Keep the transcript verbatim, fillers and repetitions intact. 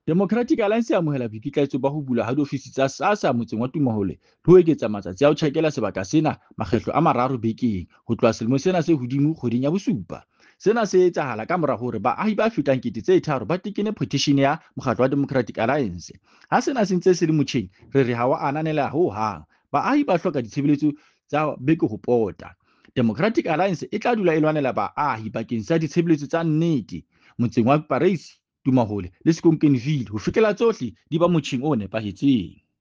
Democratic Alliance e amohela boikitlaetso ba ho bulwa ha diofisi tsa SASSA motseng wa Tumahole le ho eketsa matsatsi a ho tjhakela sebaka sena makgetlo a mararo bekeng ho tloha selemong sena se hodimo kgweding ya bosupa. Sena se etsahala ka mora hore baahi ba fetang kete tse tharo ba tekene phethishene ya mokgatlo wa Democratic Alliance. Ha sena se ntse se le motjheng, re re ha wa ananela ho hang. Baahi ba hloka ditshebeletso tsa beke ho pota. Democratic Alliance e tla dula e lwanela baahi bakeng sa ditshebeletso tsa nnete motseng wa Parys, Tumahole le Sekonkenville ho fihlela tsohle di ba motjheng o nepahetseng.